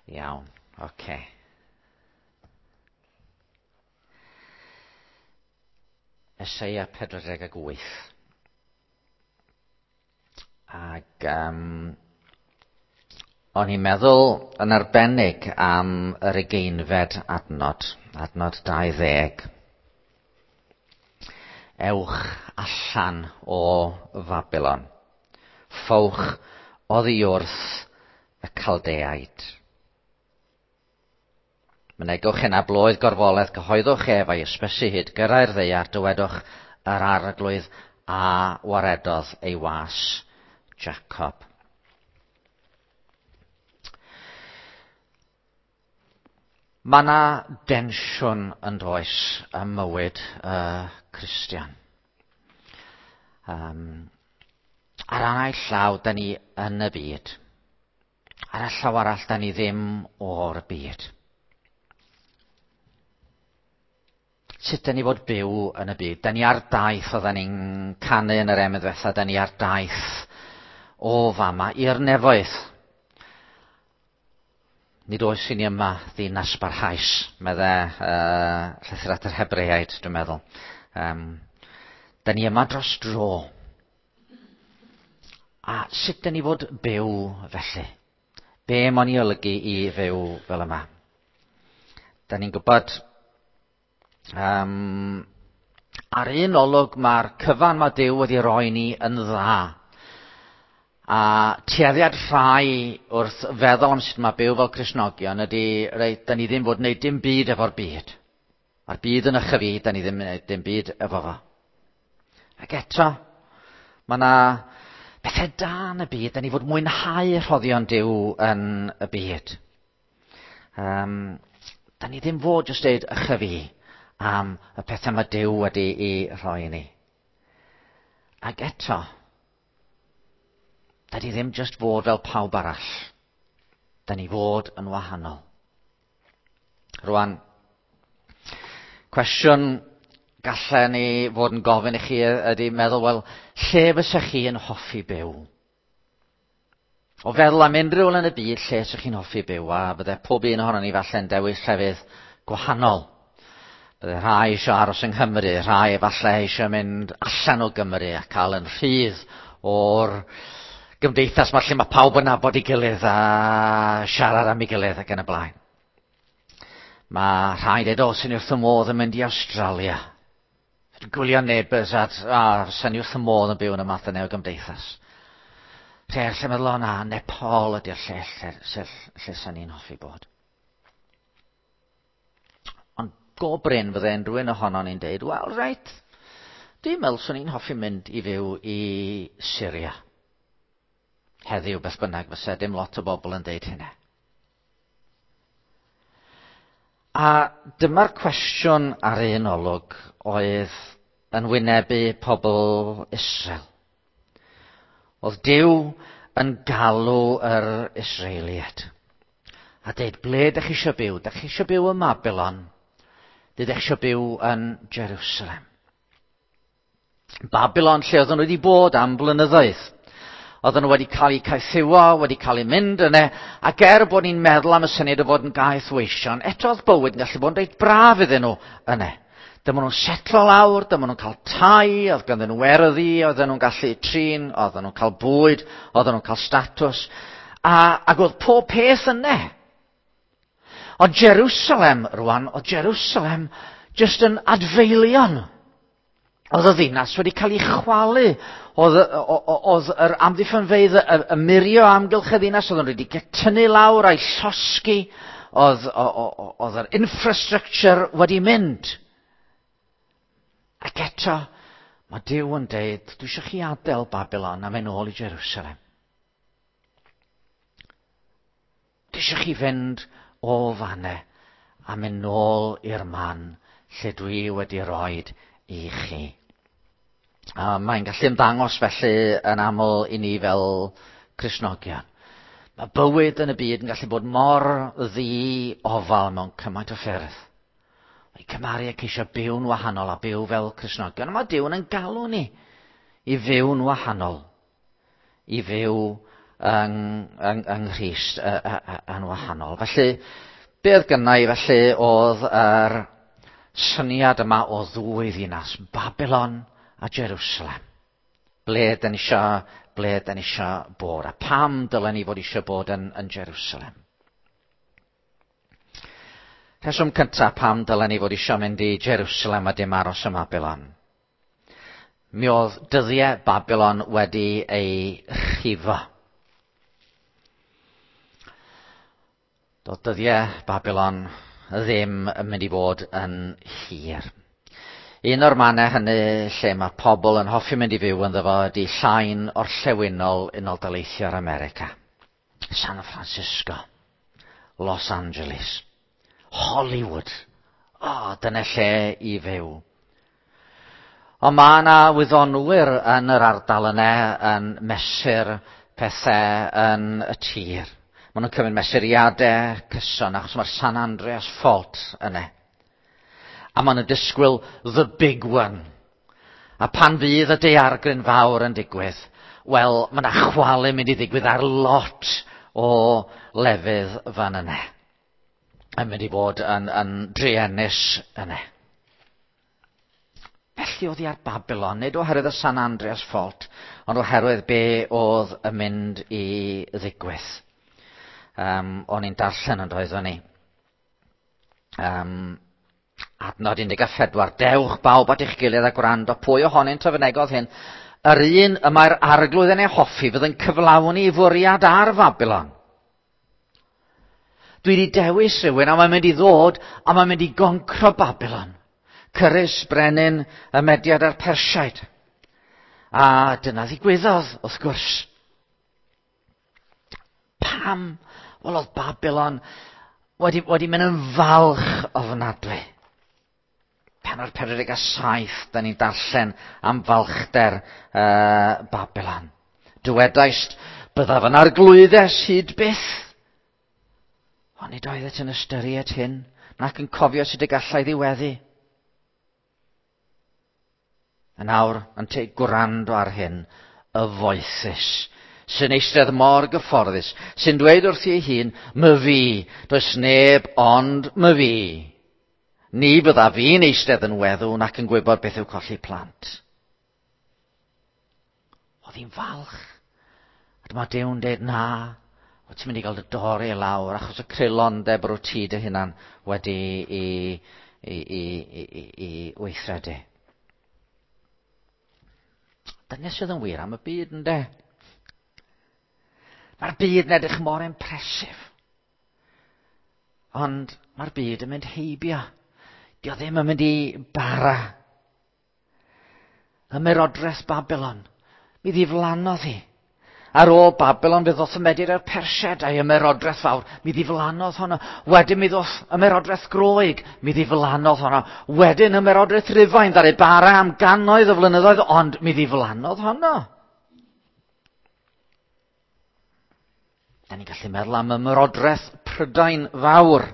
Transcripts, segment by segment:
Iawn, oce. Okay. Eseia 48. Ac um, o'n i'n meddwl yn arbennig am yr ugeinfed adnod, adnod 20. Ewch allan o Fabilon. Ffowch oddi wrth y Caldeaid. Mynegwch hyn a bloedd gorfoledd, cyhoeddwch ef a'i ysbysu hyd gyrraedd ddaear, dywedwch yr arglwydd a waredodd ei was Jacob. Mae yna densiwn yn does ym mywyd y Cristion. Um, ar anau llaw, da ni yn y byd. Ar y llaw arall, da ni ddim o'r byd. Sut da ni fod byw yn y byd? Da ni ar daith, oedden ni'n canu yn yr emyn ddiwetha, da ni ar daith o fama i'r nefoedd. Nid oes i ni yma ddinas barhaus, medde llythyr at yr Hebreaid, dwi'n meddwl. Um, da ni yma dros dro. A sut da ni fod byw felly? Be mae'n ei olygu i fyw fel yma? Da ni'n gwybod um, ar un olwg mae'r cyfan mae Duw wedi roi ni yn dda. A tueddiad rhai wrth feddwl am sut mae byw fel Cristnogion ydy, reit, da ni ddim fod wneud dim byd efo'r byd. Mae'r byd yn ychyfu, da ni ddim yn gwneud dim byd efo fo. Ac eto, mae yna bethau da yn y byd, da ni fod mwynhau rhoddion Duw yn y byd. Um, da ni ddim fod jyst deud ychyfu am y pethau mae Duw wedi i rhoi i ni. Ac eto, da ni ddim jyst fod fel pawb arall. Da ni fod yn wahanol. Rwan, cwestiwn gallen ni fod yn gofyn i chi ydy meddwl, wel, lle fysa chi yn hoffi byw? O feddwl am unrhyw le yn y byd lle sy'ch chi'n hoffi byw, a bydde pob un ohonon ni falle'n dewis llefydd gwahanol. Bydde rhai eisiau aros yng Nghymru, rhai efallai eisiau mynd allan o Gymru a cael yn rhydd o'r gymdeithas ma lle mae pawb yn nabod ei gilydd a siarad am ei gilydd ac yn y blaen. Mae rhai dweud, o, sy'n wrth y modd yn mynd i Awstralia. Dwi'n gwylio Neighbours a, a sy'n wrth y modd yn byw yn y math yna o gymdeithas. Lle lle meddwl, o na, Nepal ydy'r lle lle, lle, lle sy'n ni'n hoffi bod. Ond go brin fydde unrhyw un ohonon ni'n deud, wel, reit, dwi'n meddwl swn i'n hoffi mynd i fyw i Syria. Heddiw, beth bynnag, fysa dim lot o bobl yn deud hynna. A dyma'r cwestiwn ar un olwg oedd yn wynebu pobl Israel. Oedd Duw yn galw yr Israeliaid a deud, ble ydych chi eisiau byw? Ydych chi eisiau byw ym Mabilon? Ydych chi eisiau byw yn Jerusalem? Babylon lle oedden nhw wedi bod am blynyddoedd. Oedden nhw wedi cael eu caethiwo, wedi cael eu mynd yna, ac er bod ni'n meddwl am y syniad o fod yn gaeth weision, eto oedd bywyd yn gallu bod yn reit braf iddyn nhw yna. Dyma nhw'n setlo lawr, dyma nhw'n cael tai, oedd ganddyn nhw erddi, oedden nhw'n gallu trin, oedden nhw'n cael bwyd, oedden nhw'n cael statws, a, ac oedd pob peth yna. Ond Jerusalem rwan, oedd Jerusalem jyst yn adfeilion. Oedd y ddinas wedi cael ei chwalu. Oedd, oedd yr amddiffynfeydd y, y murio amgylch y ddinas, oedd nhw wedi tynnu lawr a'i llosgi. Oedd, oedd yr infrastructure wedi mynd. Ac eto, mae Duw yn deud, dwi eisiau chi adael Babylon a mynd ôl i Jerusalem. Dwi eisiau chi fynd o fanne a mynd nôl i'r man lle dwi wedi roed i chi. A mae'n gallu ymddangos felly yn aml i ni fel Cristnogion. Mae bywyd yn y byd yn gallu bod mor ddi-ofal mewn cymaint o ffyrdd. Mae cymharu a ceisio byw'n wahanol a byw fel Cristnogion. Mae Duw yn galw ni i fyw'n wahanol, i fyw yng, yng, yng Nghrist yn wahanol. Felly, be oedd gynna i felly oedd yr syniad yma o ddwy ddinas, Babylon a Jerusalem. Ble dyn ni isio, ble dyn ni isio bod, a pam dylen ni fod eisiau bod yn, yn Jerusalem. Rheswm cyntaf pam dylen ni fod eisiau mynd i Jerusalem a dim aros ym Babylon. Mi oedd dyddiau Babylon wedi ei rhifo. Doedd dyddiau Babylon ddim yn mynd i fod yn hir. Un o'r mannau hynny lle mae pobl yn hoffi mynd i fyw ynddo fo ydy llain orllewinol Unol Daleithiau'r America. San Francisco, Los Angeles, Hollywood. O, oh, dyna lle i fyw. Ond mae yna wyddonwyr yn yr ardal yna yn mesur pethau yn y tir. Maen nhw'n cymryd mesuriadau cyson achos mae'r San Andreas Fault yna. A maen nhw'n disgwyl the big one. A pan fydd y daeargryn fawr yn digwydd, wel, mae yna chwalu mynd i ddigwydd ar lot o lefydd fan yna. Yn mynd i fod yn, yn druenus yna. Felly oedd hi ar Babylon, nid oherwydd y San Andreas Fault, ond oherwydd be oedd yn mynd i ddigwydd. Um, o'n i'n darllen yn doeddwn ni. Um, adnod 14, dewch bawb at eich gilydd a gwrando, pwy ohonynt a fynegodd hyn? Yr un y mae'r arglwydd yn ei hoffi fydd yn cyflawni ei fwriad ar Babylon. Dwi wedi dewis rhywun a mae'n mynd i ddod a mae'n mynd i goncro Babylon. Cyrus, brenin, y mediad a'r Persiaid. A dyna ddigwyddodd, wrth gwrs. Pam? Wel, oedd Babylon wedi, wedi mynd yn falch ofnadwy. Penod 47, da ni'n darllen am falchder uh, Babylon. Dywedaist, byddaf yn arglwyddes hyd byth. Ond nid oeddet yn ystyried hyn, nac yn cofio sut y gallai ddiweddu. Yn awr, yn te gwrando ar hyn, y foethus, sy'n eistedd mor gyfforddus, sy'n dweud wrthi ei hun, my fi, does neb ond my fi. Ni fydda fi'n eistedd yn weddw nac yn gwybod beth yw colli plant. Oedd hi'n falch. A dyma Duw'n dweud, na, wyt ti'n mynd i gael dy dorri lawr achos y creulondeb rwyt ti dy hunan wedi i, i, i, i, i, i weithredu. Dyna sydd yn wir am y byd, ynddo? Mae'r byd yn edrych mor impresif. Ond mae'r byd yn mynd heibio. Dio ddim yn mynd i bara. Ymerodraeth Babylon. Mi ddiflannodd hi. Ar ôl Babylon fe ddoth y Medir a'r Persiaid a'i ymerodraeth fawr. Mi ddiflannodd honno. Wedyn mi ddoth ymerodraeth Groeg. Mi ddiflannodd honno. Wedyn ymerodraeth Rufain ddaru bara am gannoedd o flynyddoedd, ond mi ddiflannodd honno. Da ni'n gallu meddwl am ymerodraeth Prydain fawr.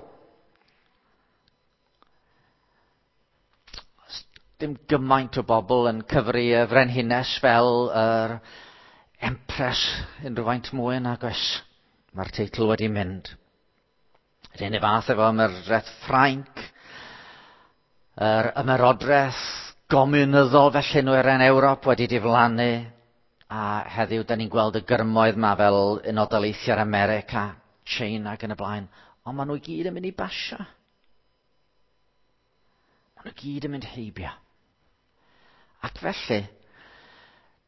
Dim gymaint o bobl yn cyfri y frenhines fel yr empress unrhyw faint mwy nag oes. Mae'r teitl wedi mynd. Yr un fath efo ymerodraeth Ffrainc, yr ymerodraeth gomiwnyddol felly nhw er Ewrop wedi diflannu, a heddiw da ni'n gweld y gyrmoedd ma fel Unol Daleithiau'r America, China ac yn y blaen, ond maen nhw i gyd yn mynd i basio. Maen nhw gyd yn mynd heibio. Ac felly,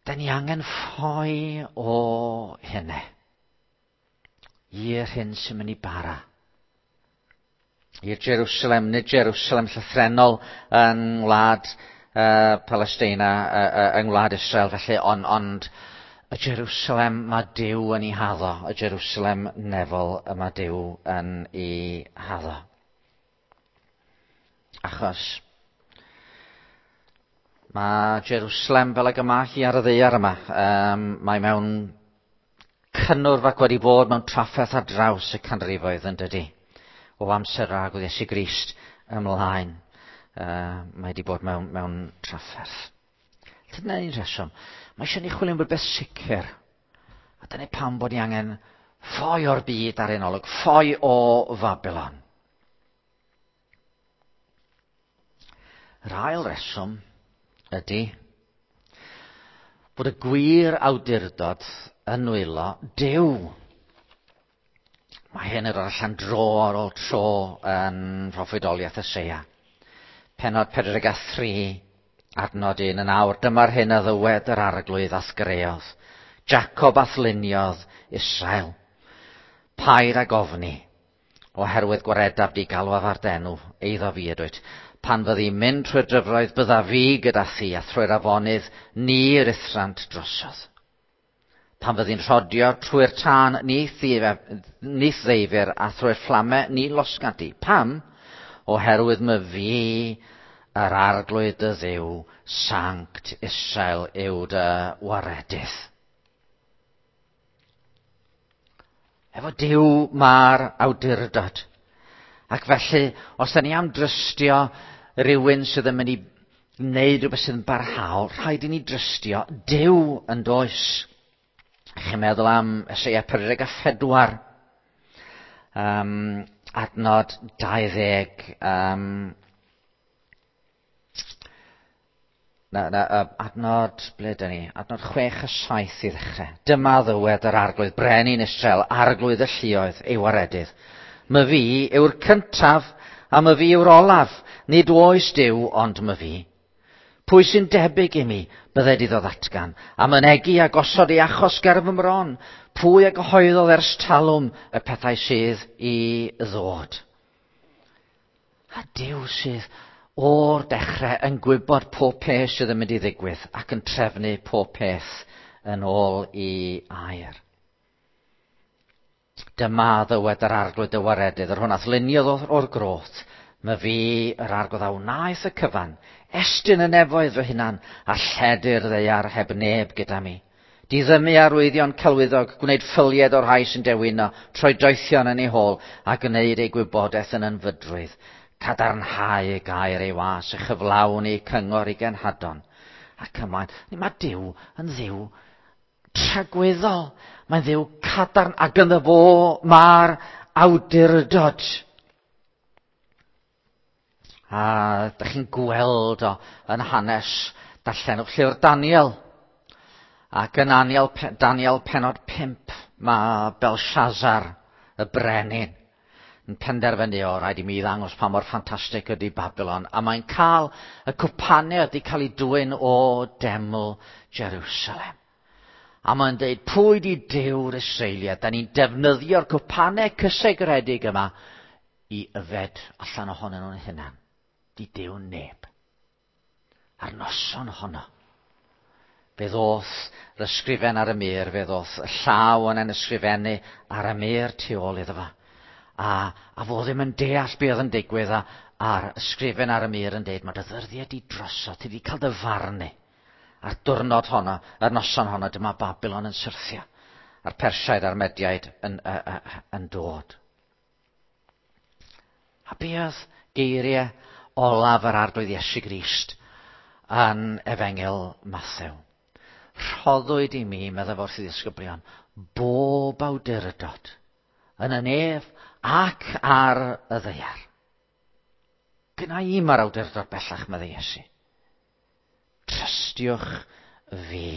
da ni angen ffoi o hynny. I'r hyn sy'n mynd i bara. I'r Jerusalem, nid Jerusalem llythrenol yng ngwlad uh, Palestina, uh, uh, yng ngwlad Israel felly, ond, ond y Jerusalem mae Duw yn ei haddo, y Jerusalem nefol y mae Duw yn ei haddo. Achos mae Jerusalem fel ag y mae hi ar y ddaear yma. Um, mae mewn cynnwrf ac wedi bod mewn trafferth ar draws y canrifoedd yn dydy. O amser rhag oedd Iesu Grist ymlaen. Uh, mae wedi bod mewn, mewn trafferth. Dyna un rheswm. Mae eisiau ni chwilio am rhywbeth sicr. A dyna pam bod ni angen ffoi o'r byd ar ein olwg, ffoi o Fabylon. Yr ail reswm ydy bod y gwir awdurdod yn nwylo Duw. Mae hyn yn dod allan dro ar ôl tro yn proffwydoliaeth Eseia. Pennod 43, adnod 1 yn awr. Dyma'r hyn a ddywed yr arglwydd a'th greodd. Jacob a'th luniodd Israel. Paid ag ofni, oherwydd gwaredaf di galwaf ar d'enw, eiddo fi ydwyt. Pan fyddi'n mynd trwy'r dyfroedd, bydda fi gyda thi, a thrwy'r afonydd, ni ruthrant drosodd. Pan fyddi'n rhodio trwy'r tân, ni ddeifir, a thrwy'r fflame, ni losgant di. Pam? Oherwydd my fi, yr arglwydd dy Dduw, Sanct Israel yw dy waredydd. Efo Duw mae'r awdurdod. Ac felly, os da ni am drystio rhywun sydd yn mynd i wneud rhywbeth sydd yn barhaol, rhaid i ni drystio Duw yn does. Chi'n meddwl am Eseia 44, adnod 20, Na, na, adnod, ble dyn ni? Adnod 6 a 7 i ddechrau. Dyma ddywed yr arglwydd, brenin Israel, arglwydd y lluoedd, ei waredydd. My fi yw'r cyntaf, a my fi yw'r olaf. Nid oes Duw, ond my fi. Pwy sy'n debyg i mi, bydded iddo ddatgan, a mynegi a gosod ei achos ger fy mron. Pwy a gyhoeddodd ers talwm y pethau sydd i ddod? A Duw sydd o'r dechrau yn gwybod pob peth sydd yn mynd i ddigwydd ac yn trefnu pob peth yn ôl i air. Dyma ddywed yr arglwydd y waredydd, yr hwn ath luniodd o'r groth, my fi yr arglwydd a wnaeth y cyfan, estyn y nefoedd fy hunan, a lledu'r ddaear heb neb gyda mi. Diddymu arwyddion celwyddog, gwneud ffylied o'r rhai sy'n dewino, troi doethion yn ei hôl, a gwneud ei gwybodaeth yn ynfydrwydd. Cadarnhau y gair ei was, a chyflawni cyngor i genhadon. Ac ymlaen. Mae Duw yn Dduw tragwyddol. Mae'n Dduw cadarn, ac ynddo fo mae'r awdurdod. A dych chi'n gweld o yn hanes, darllenwch llyfr Daniel. Ac yn Daniel, Daniel pennod 5, mae Belshazzar, y brenin, yn penderfynu o rhaid i mi ddangos pa mor ffantastig ydy Babylon. A mae'n cael y cwpanau ydy cael ei dwyn o deml Jerusalem. A mae'n dweud, pwy di Duw'r Israeliad? Da ni'n defnyddio'r cwpanau cysegredig yma i yfed allan ohonyn nhw'n hunan. Di Duw neb. A'r noson honno, fe ddoth yr ysgrifen ar y mur, fe ddoth y llaw yn ysgrifennu ar y mur tu ôl iddo fo. A, a fo ddim yn deall be oedd yn digwydd, a, a'r ysgrifen ar y mur yn deud, mae dy ddyddiau di drosodd, ti di cael dy farnu. A'r diwrnod honno, yr noson honno, dyma Babylon yn syrthio. A'r Persiaid a'r Mediaid yn, yn dod. A be oedd geiriau olaf yr arglwydd Iesu Grist yn Efengyl Mathew? Rhoddwyd i mi, meddai wrth i ddisgyblion, bob awdurdod yn y nef ac ar y ddaear. Gynna i mae'r awdurdod bellach, meddai Iesu. Trystiwch fi.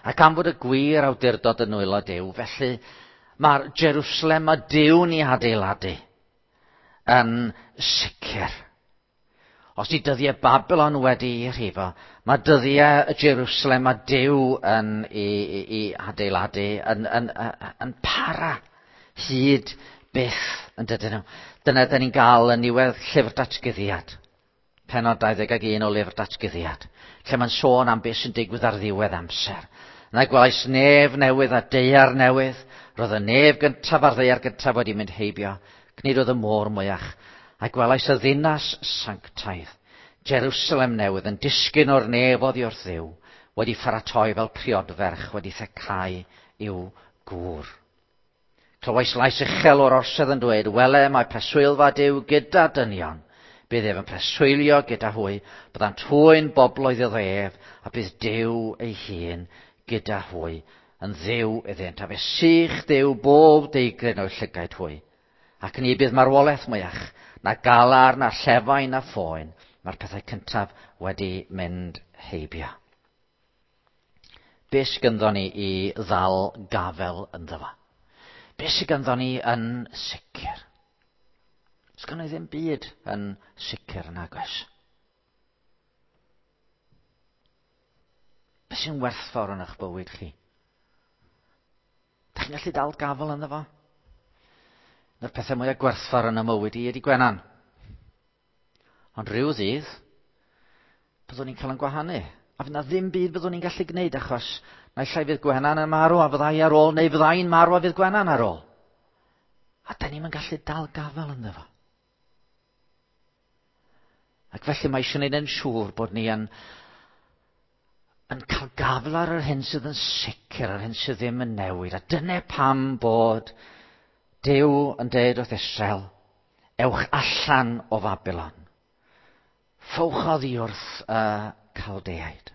Ac am fod y gwir awdurdod yn nwylo Duw, felly mae'r Jerusalem a Duw ni adeiladu yn sicr. Os di dyddiau Babylon wedi ei rhifo, mae dyddiau y Jerusalem a Duw yn ei, ei adeiladu yn, yn, yn, yn para hyd byth yn dydyn nhw. Dyna dyn ni'n gael yn niwedd llyfr datguddiad. Pennod 21 o lyfr datguddiad, lle mae'n sôn am beth sy'n digwydd ar ddiwedd amser. Yna gwelais nef newydd a daear newydd. Roedd y nef gyntaf a'r ddaear gyntaf wedi mynd heibio. Nid oedd y môr mwyach. A gwelais y ddinas sanctaidd, Jerusalem newydd, yn disgyn o'r nef oddi wrth Dduw, wedi pharatoi fel priodferch, wedi thecau i'w gŵr. Clywais lais uchel o'r orsedd yn dweud, wele mae preswylfa Duw gyda dynion. Bydd ef yn preswylio gyda hwy, byddant hwy'n bobloedd iddo ef, a bydd Duw ei hun gyda hwy, yn dduw iddynt, a fe sych Duw bob deigryn o'u llygaid hwy. Ac ni bydd marwolaeth mwyach, na galar, na llefain, na phoen. Mae'r pethau cyntaf wedi mynd heibio. Be sydd ganddo ni i ddal gafel ynddo fo? Be sydd ganddo ni yn sicr? Sgynno i ddim byd yn sicr nag oes. Be sy'n werthfawr yn eich bywyd chi? Da chi'n gallu dal gafel ynddo fo? Un o'r pethau mwyaf gwerthfawr yn y mywyd i ydy Gwenan. Ond rhyw ddydd, byddwn ni'n cael yn gwahanu. A fydd na ddim byd byddwn ni'n gallu gwneud achos naill ai fydd Gwenan yn marw a fyddai ar ôl, neu fyddai'n marw a fydd Gwenan ar ôl. A da ni'n gallu dal gafel ynddo fo. Ac felly mae eisiau gwneud yn siŵr bod ni yn, yn cael gafel ar yr hyn sydd yn sicr, ar hyn sydd ddim yn newid. A dyna pam bod Duw yn deud wrth Israel, ewch allan o Fabilon. Ffowch oddi wrth y Caldeaid.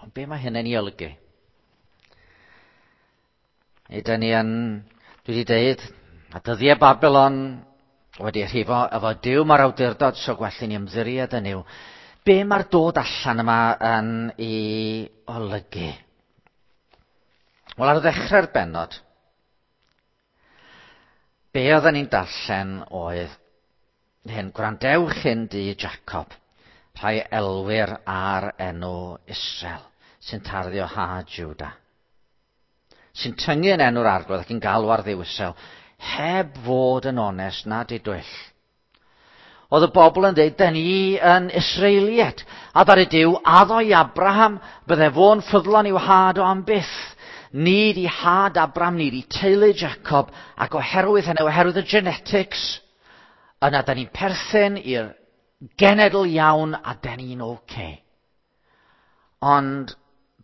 Ond be mae hynny'n ei olygu? Ydyn ni yn, dwi wedi deud, a dyddiau Babylon wedi rhifo efo Duw mae'r awdurdod, so gwell i ni ymddiried yn yw. Be mae'r dod allan yma yn ei olygu? Wel, ar ddechrau'r bennod, be oedden ni'n darllen oedd hyn, gwrandewch hyn di Jacob, rhai elwyr ar enw Israel, sy'n tarddu o ha Judah, sy'n tyngu yn enw'r arglwydd ac yn galw ar Dduw Israel, heb fod yn onest na didwyll. Oedd y bobl yn dweud, da ni yn Israeliad. A ddaru Duw addo i Abraham, bydde fo'n ffyddlon i'w had o am byth. Nid i had Abraham, nid i teulu Jacob, ac oherwydd hynny, oherwydd y genetics, yna da ni'n perthyn i'r genedl iawn a da ni'n oce. Okay. Ond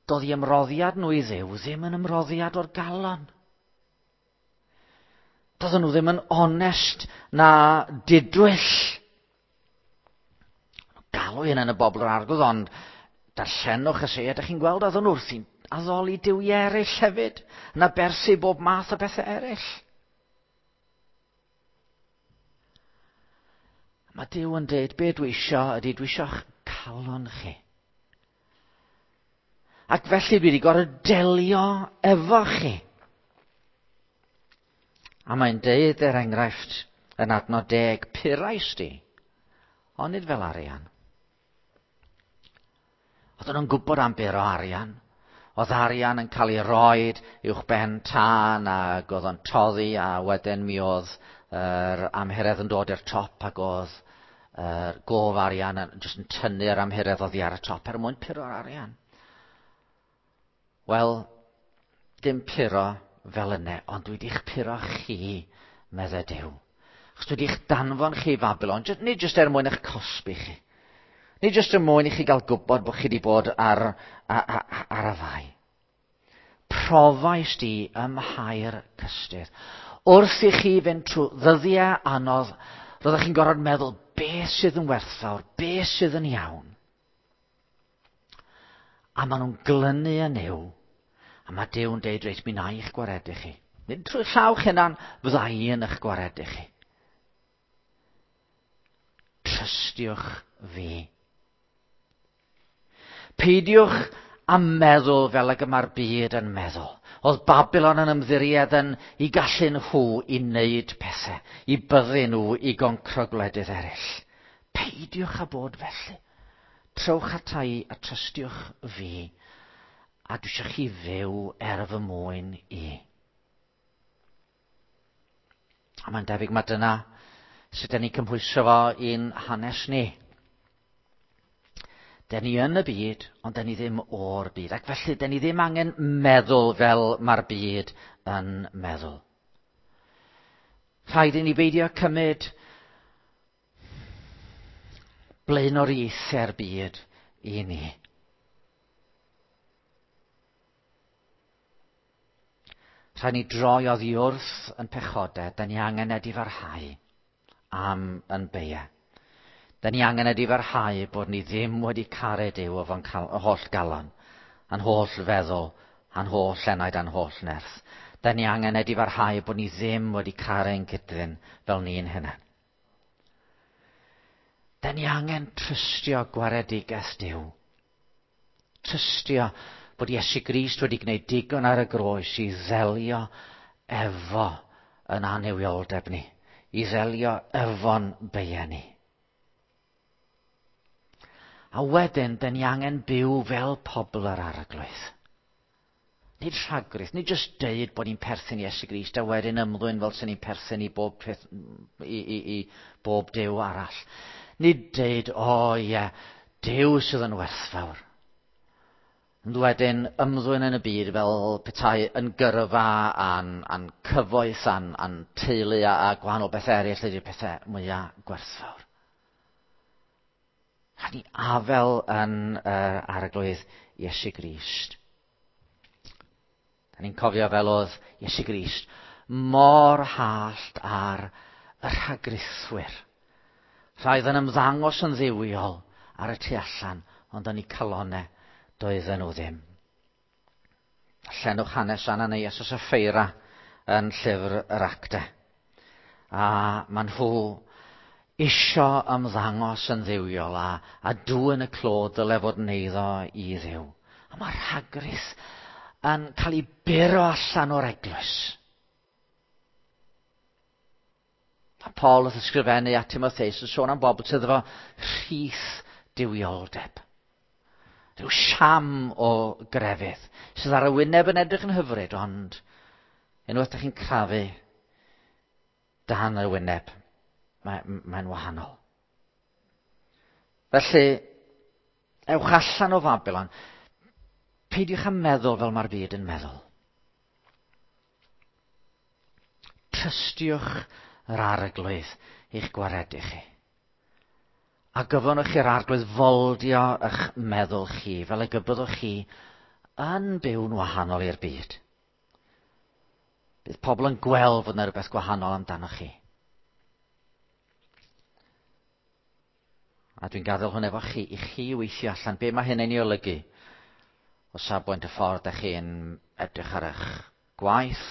doedd i ymroddiad nhw i Dduw ddim yn ymroddiad o'r galon. Doedden nhw ddim yn onest na didwyll. Galw hyn yn y bobl yr arglwydd, ond darllenwch y se, ydych chi'n gweld oedden nhw wrthi'n addoli duwiau eraill hefyd, yn aberthu bob math o bethau eraill. Mae Duw yn dweud, be dwi isio ydy, dwi isio'ch calon chi. Ac felly dwi wedi gorfod delio efo chi. A mae'n deud, er enghraifft, yn adnod 10, purais di, ond nid fel arian. Oedden nhw'n gwybod am bur o arian. Oedd arian yn cael ei roed uwch ben tân ac oedd o'n toddi a wedyn mi oedd yr amhuredd yn dod i'r top ac oedd yr gof arian yn jyst yn tynnu'r amhuredd oddi ar y top er mwyn puro'r arian. Wel, dim puro fel yna, ond dwi wedi'ch puro chi, meddai Duw. Achos dwi wedi'ch danfon chi i Fabilon, nid jyst er mwyn eich cosbi chi. Nid jyst er mwyn i chi gael gwybod bod chi wedi bod ar, ar, ar y fai. Profais di ym mhair cystudd. Wrth i chi fynd trwy ddyddiau anodd, roeddech chi'n gorfod meddwl beth sydd yn werthfawr, beth sydd yn iawn. A maen nhw'n glynu yn Nuw. A mae Duw yn deud, reit, mi na i'ch gwaredu chi. Nid trwy llaw'ch hunan, fydda i yn eich gwaredu chi. Trystiwch fi. Peidiwch â meddwl fel ag y mae'r byd yn meddwl. Oedd Babylon yn ymddiried yn i gallu nhw i wneud pethau, i byddu nhw i goncro gwledydd eraill. Peidiwch â bod felly. Trowch ata i a trystiwch fi, a dwi eisiau chi fyw er fy mwyn i. A mae'n debyg mae dyna sut dyn ni'n cymhwyso fo i'n hanes ni. Dyn ni yn y byd, ond dyn ni ddim o'r byd. Ac felly, dyn ni ddim angen meddwl fel mae'r byd yn meddwl. Rhaid i ni beidio cymryd blaenoriaethau'r byd i ni. Rhaid ni droi oddi wrth yn pechodau, da ni angen edifarhau. am yn beiau. Da ni angen edifarhau bod ni ddim wedi caru Duw efo'n holl galon, a'n holl feddwl, a'n holl enaid, a'n holl nerth. Da ni angen edifarhau bod ni ddim wedi caru'n cydddyn fel ni'n hunain. Da ni angen trystio gwaredigaeth Duw. Trystio bod Iesu Grist wedi gwneud digon ar y groes i ddelio efo yn annuwioldeb ni, i ddelio efo'n beiau ni. A wedyn, da ni angen byw fel pobl yr Arglwydd. Nid rhagrith, nid jyst deud bod ni'n perthyn i Iesu Grist a wedyn ymddwyn fel sy'n ni'n perthyn i bob peth, i bob Duw arall. Nid deud, o oh, ie, yeah, Duw sydd yn werthfawr. Ond wedyn ymddwyn yn y byd fel petai yn gyrfa a'n cyfoeth a'n teulu a gwahanol bethau eraill ydy'r pethau mwyaf gwerthfawr. Rhaid ni afel yn Arglwydd Iesu Grist. Da ni'n cofio fel oedd Iesu Grist mor hallt ar y rhagrithwyr. Rhai oedd yn ymddangos yn dduwiol ar y tu allan, ond yn eu calonau doedden nhw ddim. Llenwch hanes Ananias a Sapphira yn llyfr yr Actau. A maen nhw isio ymddangos yn dduwiol a dwyn y clod dyle fod yn eiddo i Dduw. A mae rhagrith yn cael ei buro allan o'r eglwys. A Paul wrth ysgrifennu at Timotheus yn sôn am bobl sydd efo rhith duwioldeb. Rhyw siam o grefydd sydd ar y wyneb yn edrych yn hyfryd, ond unwaith ydych chi'n crafu dan y wyneb, mae'n wahanol. Felly, ewch allan o Fabilon. Peidiwch â meddwl fel mae'r byd yn meddwl. Trystiwch yr Arglwydd i'ch gwaredu chi. A gyfynwch i'r Arglwydd foldio eich meddwl chi, fel y gybyddwch chi yn byw'n wahanol i'r byd. Bydd pobl yn gweld fod yna rhywbeth gwahanol amdanoch chi. A dwi'n gadael hwn efo chi, i chi weithio allan be mae hyn yn ei olygu o safbwynt y ffordd ydych chi'n edrych ar eich gwaith,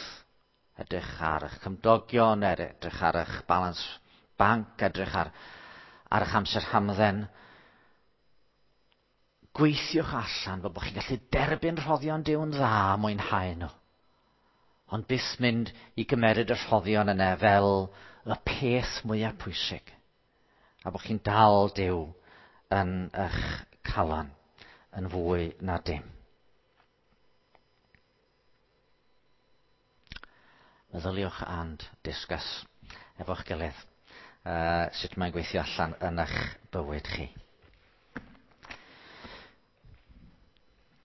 edrych ar eich cymdogion, edrych ar eich balans banc, edrych ar eich amser hamdden. Gweithiwch allan fel bod chi'n gallu derbyn rhoddion Duw'n dda a mwynhau nhw. Ond byth mynd i gymeryd y rhoddion yna fel y peth mwyaf pwysig. A bod chi'n dal Duw yn eich calon yn fwy na dim. Meddyliwch and discuss efo'ch gilydd sut mae'n gweithio allan yn eich bywyd chi.